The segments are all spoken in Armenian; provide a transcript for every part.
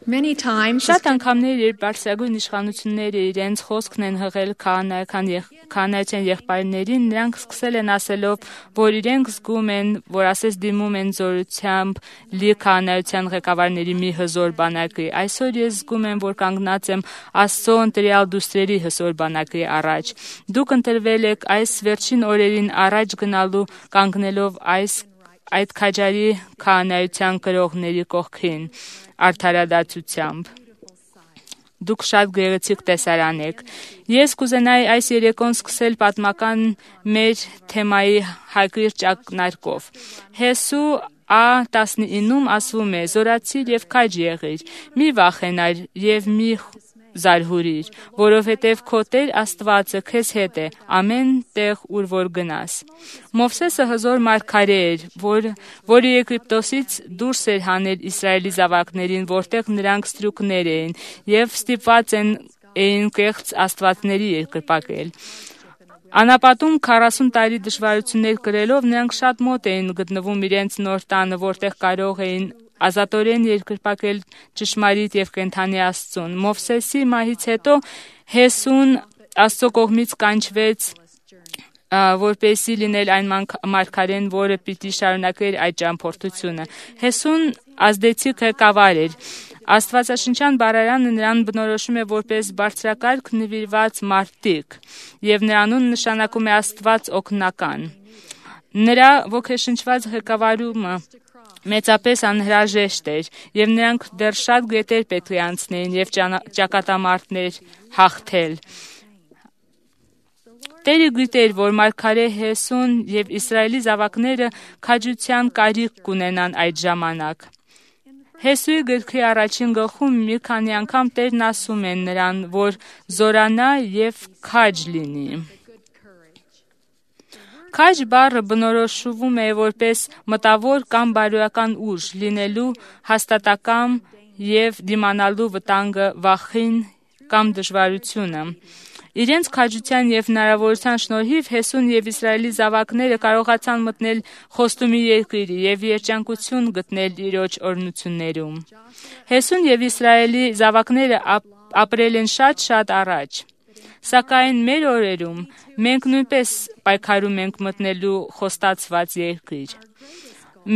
Many times, Շատ անգամներ երբ բարձրագույն իշխանությունները իրենց խոսքն են հղել քահանայության եղբայրներին, նրանք սկսել են ասելով, որ իրենք զգում են, որ ասես դիմում են զորությամբ լի քահանայության ղեկավարների մի հզոր բանակի։ Այսօր ես զգում եմ, որ կանգնած եմ Աստծո ընտրյալ դուստրերի հզոր բանակի առաջ։ Դուք ընտրվել եք այս վերջին օրերին առաջ գնալու կանգնելով այդ քաջարի քահանայության կրողների կողքին արդարադատությամբ։ Դուք շատ գեղեցիկ տեսարան եք։ Ես կուզենայի այս երեկոն սկսել պատմական մեր թեմայի հակիրճ ակնարկով։ Հեսու A19-ում ասվում է. «Զորացիր և քաջ եղիր, մի վախենար և մի զարհուրիր, որովհետև քո Տեր Աստվածը քեզ հետ է ամեն տեղ, ուր որ գնաս»։ Մովսեսը հզոր մարգարե էր, որը Եգիպտոսից դուրս էր հանել Իսրայելի զավակներին, որտեղ նրանք ստրուկներ էին և ստիպված էին կեղծ աստվածների երկրպագել։ Անապատում 40 տարի դժվարություններ կրելով նրանք շատ մոտ էին գտնվում իրենց նոր տանը, որտեղ կարող էին ազատորեն երկրպագել ճշմարիտ և կենդանի Աստծուն։ Մովսեսի մահից հետո Հեսուն Աստծո կողմից կանչվեց, որպեսզի լինել այն մարգարեն, որը պիտի շարունակեր այդ ճամփորդությունը։ Հեսուն ազդեցիկ ղեկավար էր։ Աստվածաշնչյան բառարանը նրան բնորոշում է որպես բարձրակարգ նվիրված մարտիկ, և նրա անունը նշանակում է Աստված օգնական։ Նրա ոգեշնչված ղեկավարումը մեծապես անհրաժեշտ էր, և նրանք դեռ շատ գետեր պետք է անցնեին և ճակատամարտեր հաղթել։ Տերը գիտեր, որ մարգարե Հեսուն և Իսրայելի զավակները քաջության կարիք կունենան այդ ժամանակ։ Հեսուի գրքի առաջին գլխում մի քանի անգամ Տերն ասում է նրան, որ զորանա և քաջ լինի։ Քաջ բառը բնորոշվում է որպես մտավոր կամ բարոյական ուժ, լինելու հաստատակամ և դիմանալու վտանգը, վախին կամ դժվարությունը։ Իրենց քաջության և հնարավորության շնորհիվ Հեսուն և Իսրայելի զավակները կարողացան մտնել խոստումի երկիր և երջանկություն գտնել Տիրոջ օրհնություններում։ Հեսուն և Իսրայելի զավակները ապրել են շատ առաջ։ Սակայն մեր օրերում մենք նույնպես պայքարում ենք մտնելու խոստացված երկիր։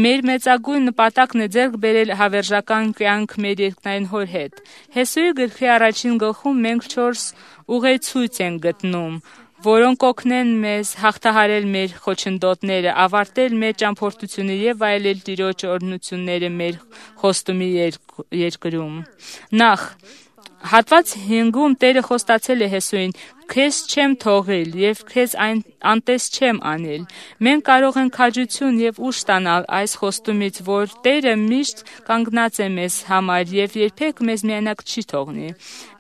Մեր մեծագույն նպատակն է ձեռք բերել հավերժական կյանք մեր երկնային Հոր հետ։ Հեսուի գրքի առաջին գլխում մենք 4 ուղեցույց ենք գտնում, որոնք կօգնեն մեզ հաղթահարել մեր խոչընդոտները, ավարտել մեր ճամփորդությունը և վայելել Տիրոջ օրհնությունները մեր խոստումի երկրում։ Նախ, հատված 5-ում Տերը խոստացել է Հեսուին. «Քեզ չեմ թողել և քեզ անտես չեմ անել»։ Մենք կարող ենք քաջություն և ուժ ստանալ այս խոստումից, որ Տերը միշտ կանգնած է մեզ համար և երբեք մեզ միայնակ չի թողնի։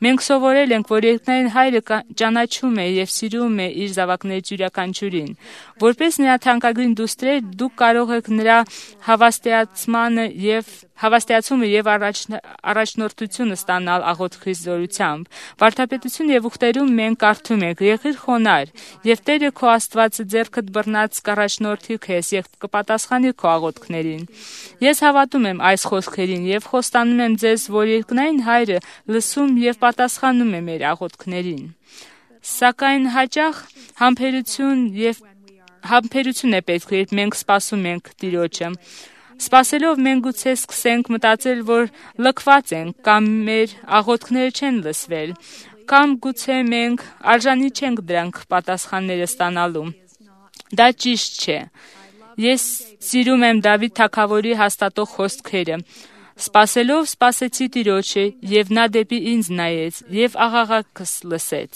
Մենք սովորել ենք, որ երկնային Հայրը ճանաչում է և սիրում է իր զավակներից յուրաքանչյուրին։ Որպես նրա թանկագին դուստրեր, դուք կարող եք նրա հավաստիացումը և առաջնորդությունը ստանալ աղոթքի զորությամբ։ Վարդապետություն և ուխտերում մենք կարդում ենք. «Եղիր խոնարհ, և Տերը քո Աստվածը ձեռքդ բռնած կառաջնորդի քեզ և կպատասխանի քո աղոթքներին»։ Ես հավատում եմ այս խոսքերին և խոստանում եմ ձեզ, որ երկնային Հայրը լսում և պատասխանում է մեր աղոթքներին։ Սակայն հաճախ համբերություն է պետք, երբ մենք սպասում ենք Տիրոջը։ Սպասելով մենք գուցե սկսենք մտածել, որ լքված ենք, կամ մեր աղոթքները չեն լսվել, կամ գուցե մենք արժանի չենք դրանք պատասխանները ստանալու։ Դա ճիշտ չէ։ Ես սիրում եմ Դավիթ թագավորի հաստատող խոսքերը. «Սպասելով սպասեցի Տիրոջը, և նա դեպի ինձ նայեց և աղաղակս լսեց»։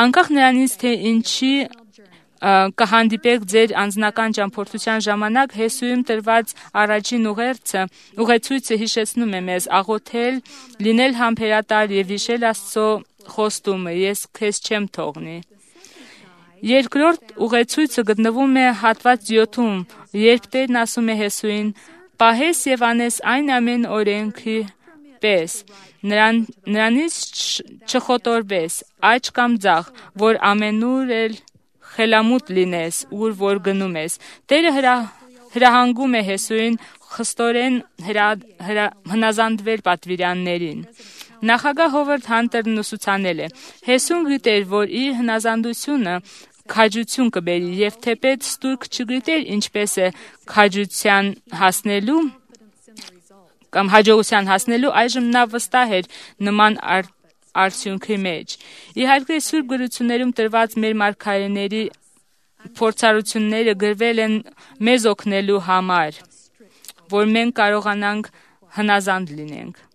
Անկախ նրանից, թե ինչի կհանդիպեք ձեր անձնական ճամփորդության ժամանակ, Հեսուում տրված առաջին ուղեցույցը հիշեցնում է մեզ աղոթել, լինել համբերատար և հիշել Աստծո խոստումը. «Ես քեզ չեմ թողնի»։ Երկրորդ ուղեցույցը գտնվում է հատված 7-ում, երբ Տերն ասում է Հեսուին. «Պահես և անես այն ամեն օրենքի պես, նրանից չխոտորվես, աջ կամ ձախ, որ ամենուր էլ խելամուտ լինես, ուր որ գնում ես»։ Տերը հրահանգում է Հեսուին խստորեն հնազանդվել պատվիրաններին։ Նախագահ Հովարդ Հանտերն ուսուցանել է. Հեսուն գիտեր, որ իր հնազանդությունը քաջություն կբերի եւ թեպետ ստուրկ չգիտեր ինչպես է քաջության հասնելու կամ հաջողության հասնելու, այժմ նա վստահ էր նման արդյունքի մեջ։ Իհարկե Սուրբ գրություններում տրված մեր մարգարեների փորձառությունները գրվել են մեզ օգնելու համար, որ մենք կարողանանք հնազանդ լինենք։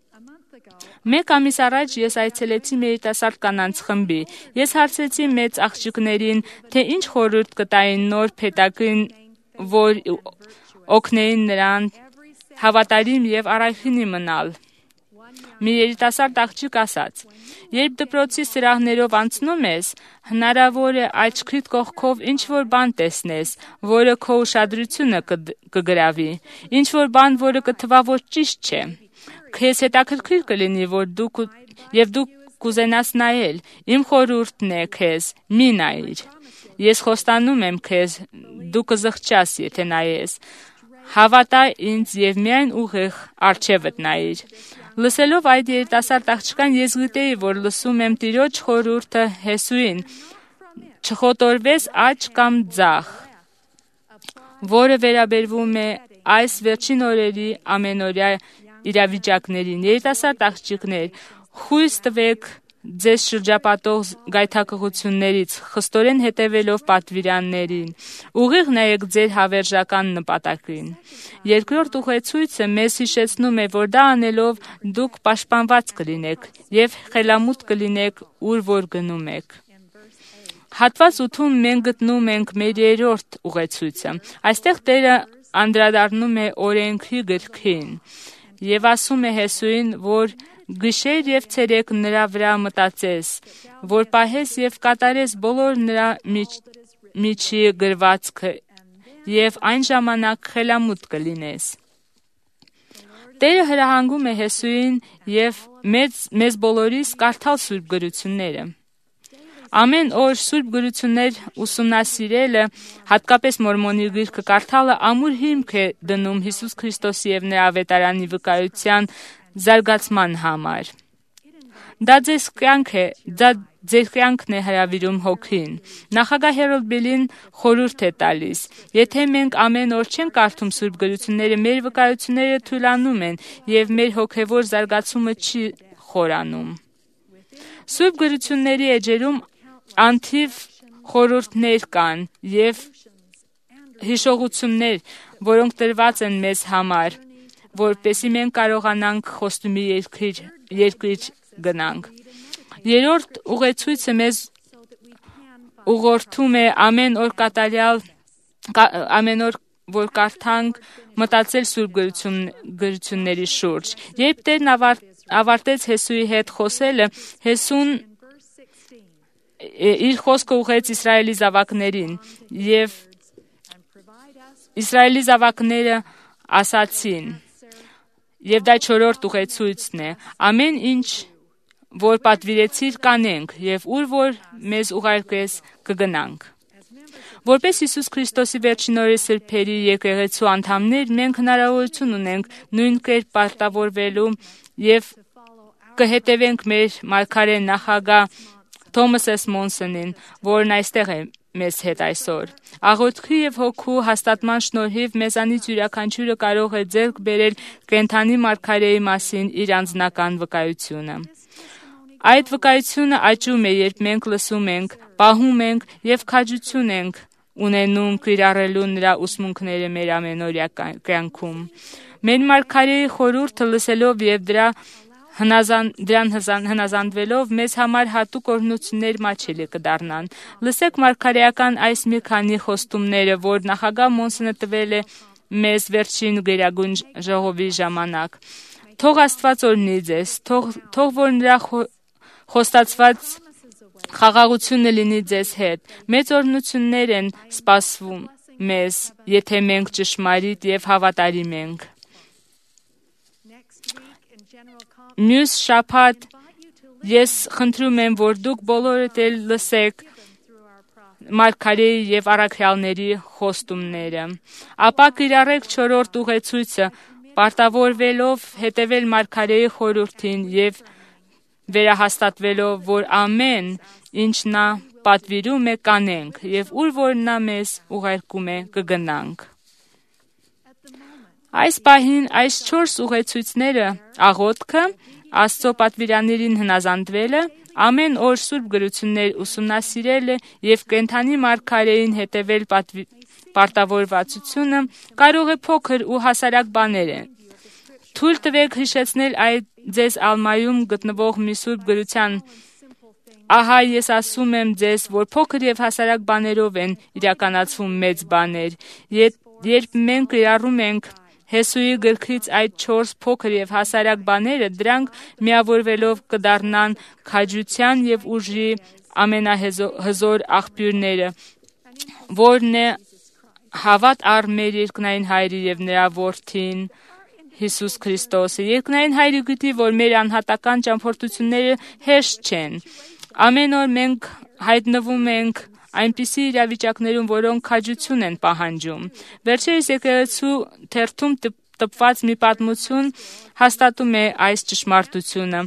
Մեկ ամիս առաջ ես այցելեցի մի երիտասարդ կանանց խմբի։ Ես հարցրեցի մեծ աղջիկներին, թե ինչ խորհուրդ կտային նոր փեթակին, որ օգնեին նրան հավատարիմ եւ առայժմ մնալ։ Մի երիտասարդ աղջիկ ասաց. երբ դպրոցի սրահներով անցնում ես, հնարավոր է աչքիդ կողքով ինչ-որ բան տեսնես, որը քո ուշադրությունը կգրավի, ինչ-որ բան, որը կթվա, որ ճիշտ չէ։ Քեզ հետաքրքիր կլինի, որ դու կուզենաս նայել, իմ խորհուրդն է քեզ, մի նայիր։ Ես խոստանում եմ քեզ, դու կզղջաս, եթե նայես։ Հավատա ինձ եւ միայն ուղիղ առջևդ նայիր։ Լսելով այդ երիտասարդ աղջկան, ես գիտեի, որ լսում եմ Տիրոջ խորհուրդը Հեսուին. չխոտորվես աջ կամ ձախ, որը վերաբերվում է այս վերջին օրերի ամենօրյա իրավիճակներին։ Երիտասարդ աղջիկներ, խույս տվեք ձեզ շրջապատող գայթակղություններից, խստորեն հետևելով պատվիրաններին, ուղիղ նայեք ձեր հավերժական նպատակին։ Երկրորդ ուղեցույցը մեզ հիշեցնում է, որ դա անելով դուք պաշտպանված կլինեք եւ խելամուտ կլինեք, ուր որ գնում եք։ Հատված 8-ում մենք գտնում ենք մեր երրորդ ուղեցույցը։ Այստեղ Տերը անդրադառնում է օրենքի գրքին եւ ասում է Հեսուին, որ գիշեր եւ ցերեկ նրա վրա մտածես, որ պահես եւ կատարես բոլոր նրա միջի գրվածքը եւ այն ժամանակ խելամուտ կլինես։ Տերը հրահանգում է Հեսուին եւ մեզ բոլորիս կարդալ Սուրբ գրությունները։ Ամեն օր Սուրբ գրություններ ուսումնասիրելը, հատկապես Մորմոնի գիրքը կարդալը ամուր հիմք է դնում Հիսուս Քրիստոսի եւ նրա ավետարանի վկայության զարգացման համար։ Դա ձեր կյանքն է հրավիրում հոգին։ Նախագահ Հերոլդ Բիլին խորհուրդ է տալիս. եթե մենք ամեն օր չենք կարդում Սուրբ գրությունները, մեր վկայությունները թուլանում են եւ մեր հոգեվոր զարգացումը չի խորանում։ Սուրբ գրությունների էջերում անթիվ խորհուրդներ կան եւ հիշողություններ, որոնք տրված են մեզ համար, որպեսզի մենք կարողանանք խոստումի երկիր գնանք։ Երրորդ ուղեցույցը մեզ ուղղորդում է ամեն օր որ կարդանք մտածել Սուրբ գրությունների շուրջ։ Երբ Տերն ավարտեց Հեսուի հետ խոսելը, Հեսուն իր խոսքը ուղղեց Իսրայելի զավակներին եւ Իսրայելի զավակները ասացին, եւ դա չորրորդ ուղեցույցն է. ամեն ինչ, որ պատվիրեցիր կանենք եւ ուր որ մեզ ուղարկես կգնանք։ Որպես Հիսուս Քրիստոսի վերջին օրերի սրբերի եկեղեցու անդամներ, մենք հնարավորություն ունենք նույն կերպ պարտավորվելու եւ կհետևենք մեր մարգարե նախագահ Թոմաս Ս. Մոնսոնին, որն այստեղ է մեզ հետ այսօր։ Աղոթքի եւ հոգու հաստատման շնորհիվ մեզանից յուրաքանչյուրը կարող է ձեռք բերել կենդանի մարգարեի մասին իր անձնական վկայությունը։ Այդ վկայությունը աճում է, երբ մենք լսում ենք, պահում ենք եւ քաջություն ենք ունենում կիրառելու նրա ուսմունքները մեր ամենօրյա կյանքում։ Մեր մարգարեի խորհուրդը լսելով եւ դրան հնազանդվելով մեզ համար հատուկ օրհնություններ մատչելի կդառնան։ Լսեք մարգարեական այս մի քանի խոստումները, որ նախագահ Մոնսոնը տվել է մեզ վերջին գերագույն ժողովի ժամանակ։ Թող Աստված օրհնի ձեզ, թող որ նրա խոստացված խաղաղությունը լինի ձեզ հետ։ Մեծ օրհնություններ են սպասվում մեզ, եթե մենք ճշմարիտ եւ հավատարիմ ենք։ Մյուս շաբաթ ես խնդրում եմ, որ դուք բոլորդ էլ լսեք մարգարեի եւ առաքյալների խոստումները։ Ապա կիրառեք 4-րդ ուղեցույցը, պարտավորվելով հետևել մարգարեի խորհրդին եւ վերահաստատվելով, որ ամեն ինչ նա պատվիրում է կանենք եւ ուր որ նա մեզ ուղարկում է կգնանք։ Այս պահին այս 4 ուղեցույցները, աղոթքը, Աստծո պատվիրաններին հնազանդվելը, ամեն օր սուրբ գրություններ ուսումնասիրելը եւ կենդանի մարգարեին հետևել պարտավորվածությունը կարող է փոքր ու հասարակ բաներ են։ Թույլ տվեք հիշեցնել այդ ձեզ ալմայում գտնվող մի սուրբ գրության. Ահա ես ասում եմ ձեզ, որ փոքր եւ հասարակ բաներով են իրականացվում մեծ բաներ։ Երբ մենք կիրառում ենք Հեսուի գրքից այդ 4 փոքր եւ հասարակ բաները, դրանք միավորվելով կդառնան քաջության եւ ուժի ամենահզոր աղբյուրները, որն է հավատ առ մեր երկնային Հայրի եւ նրա որդին Հիսուս Քրիստոսը։ Երկնային Հայրը գիտի, որ մեր անհատական ճամփորդությունները հեշտ չեն։ Ամեն օր մենք հայտնվում ենք այնպիսի իրավիճակներում, որոնք քաջություն են պահանջում։ Վերջերս եկեղեցու թերթում տպված մի պատմություն հաստատում է այս ճշմարտությունը։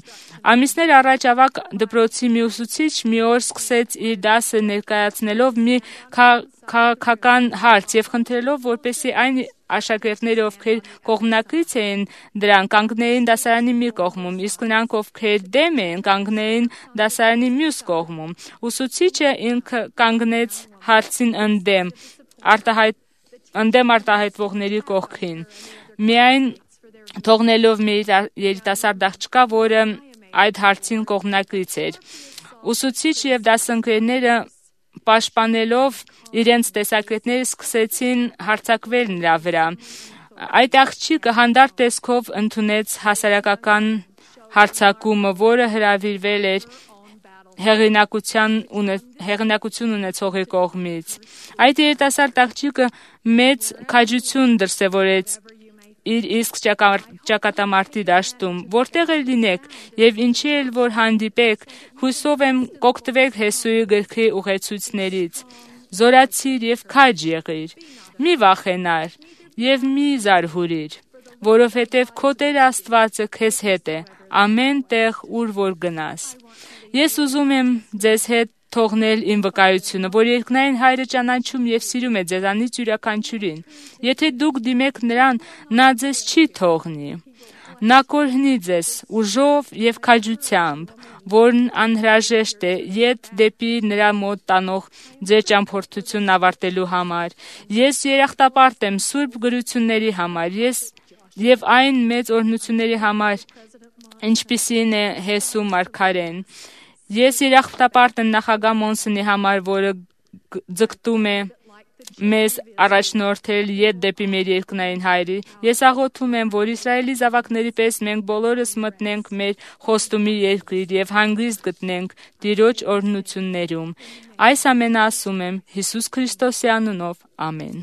Ամիսներ առաջ ավագ դպրոցի մի ուսուցիչ մի օր սկսեց իր դասը ներկայացնելով մի քաղաքական հարց եւ խնդրելով, որպեսզի այն աշակերտները, ովքեր կողմնակից էին դրան, կանգնեին դասարանի մի կողմում, իսկ նրանք, ովքեր դեմ էին, կանգնեին դասարանի մյուս կողմում։ Ուսուցիչը ինքը կանգնեց հարցին ընդդեմ արտահայտվողների կողքին, միայն թողնելով մի երիտասարդ աղջկա, որը այդ հարցին կողմնակից էր։ Ուսուցիչ եւ դասընկերները պաշտպանելով իրենց տեսակետները սկսեցին հարձակվել նրա վրա։ Այդ աղջիկը հանդարտ տեսքով ընդունեց հասարակական հարձակումը, որը հրավիրվել էր հեղինակություն ունեցողի կողմից։ Այդ երիտասարդ աղջիկը մեծ քաջություն դրսևորեց իր իսկ ճակատամարտի դաշտում, որտեղ էլ լինեք եւ ինչի էլ որ հանդիպեք, հույսով եմ կօգտվեք Հեսուի գրքի ուղեցույցներից։ Զորացիր եւ քաջ եղիր, մի վախենար եւ մի զարհուրիր, որովհետեւ քո Տեր Աստվածը քեզ հետ է ամեն տեղ, ուր որ գնաս։ Ես ուզում եմ ձեզ հետ թողնել իմ վկայությունը, որ երկնային Հայրը ճանաչում եւ սիրում է ձեզանից յուրաքանչյուրին։ Եթե դուք դիմեք նրան, նա ձեզ չի թողնի։ Նա կօրհնի ձեզ ուժով եւ քաջությամբ, որն անհրաժեշտ է ետ դեպի նրա մոտ տանող ձեր ճամփորդությունն ավարտելու համար։ Ես երախտապարտ եմ սուրբ գրությունների համար, եւ այն մեծ օրհնությունների համար, ինչպիսին է Հեսու մարգարեն։ Ես երախտապարտ եմ նախագահ Մոնսոնի համար, որը ձգտում է մեզ առաջնորդել ետ դեպի մեր երկնային Հայրի։ Ես աղոթում եմ, որ Իսրայելի զավակների պես մենք բոլորս մտնենք մեր խոստումի երկիր եւ հանգիստ գտնենք Տիրոջ օրհնություններում։ Այս ամենը ասում եմ Հիսուս Քրիստոսի անունով։ Ամեն։